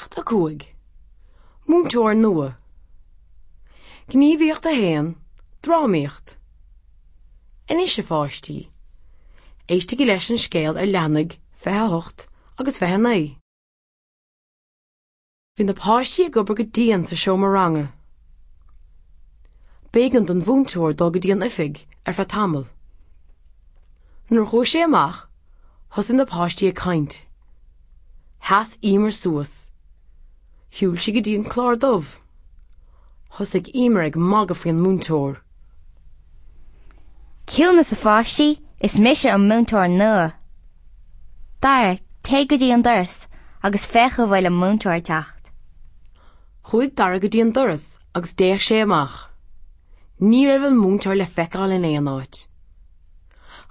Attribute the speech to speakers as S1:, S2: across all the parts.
S1: Ceacht 5, Múinteoir Nua Gníomhaíocht 1, Drámaíocht Anois, a pháistí, éistigí leis an scéal ar leathanaigh 28 agus 29. Bhí na páistí ag obair go dian sa seomra ranga. B'éigean don mhúinteoir dul go dtí an oifig ar feadh tamaill. Nuair a chuaigh sé amach, thosaigh na páistí ag caint. Sheas Emer suas. Shiúil sí go dtí an clár dubh. Thosaigh Emer ag magadh faoin múinteoir.
S2: Ciúnas a pháistí, is mise an múinteoir nua. Dara, téigh go dtí an doras agus féach an bhfuil an múinteoir ag teacht.
S1: Chuaigh Dara go dtí an doras agus d'fhéach sé amach. Ní raibh an múinteoir le feiceáil in aon áit.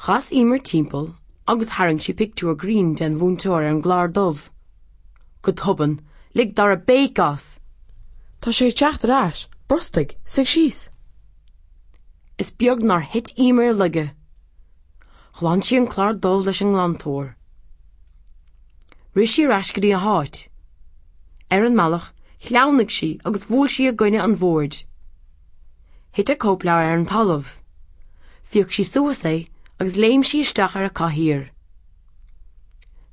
S1: Chas Emer timpeall agus tharraing sí pictiúr grinn den mhúinteoir ar an gclár dubh. Go tobann, lig Dara béic as!
S3: Tá sé ag teacht ar ais! Brostaigh! Suigh síos!
S1: Is beag nár thit Emer i laige. Ghlan sí an clár dubh leis an nglantóir. Rith sí ar ais go dtí a háit. Ar an mbealach, shleamhnaigh sí agus bhuail sí i gcoinne an bhoird. Thit a cóipleabhar ar an talamh. Phioc sí suas é agus léim sí isteach ar a cathaoir.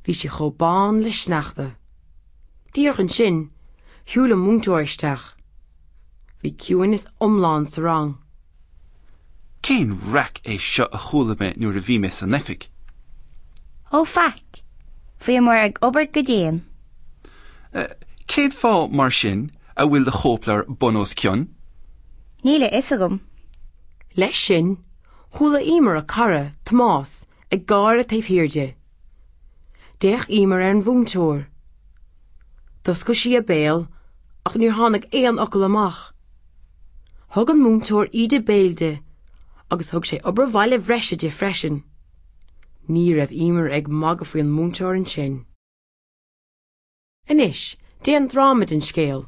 S1: Bhí sí chomh bán le sneachta. Díreach ansin, shiúil an múinteoir isteach. Bhí ciúineas iomlán sa rang.
S4: Cén raic é seo a chuala mé nuair a bhí mé san oifig?
S2: Ó faic! Bhíomar ag obair go dian.
S4: Cén fáth, mar sin, a bhfuil do chóipleabhar bun os cionn?
S2: Níl a fhios agam.
S1: Leis sin, chuala Emer a cara, Tomás, ag gáire taobh thiar di. D'fhéach Emer ar an mhúinteoir. D'oscail sí a béal ach níor tháinig aon fhocal amach. Thug an múinteoir íde béil di agus thug sé obair bhaile bhreise di freisin. Ní raibh Emer ag magadh faoin múinteoir ansin. Anois, déan dráma den scéal.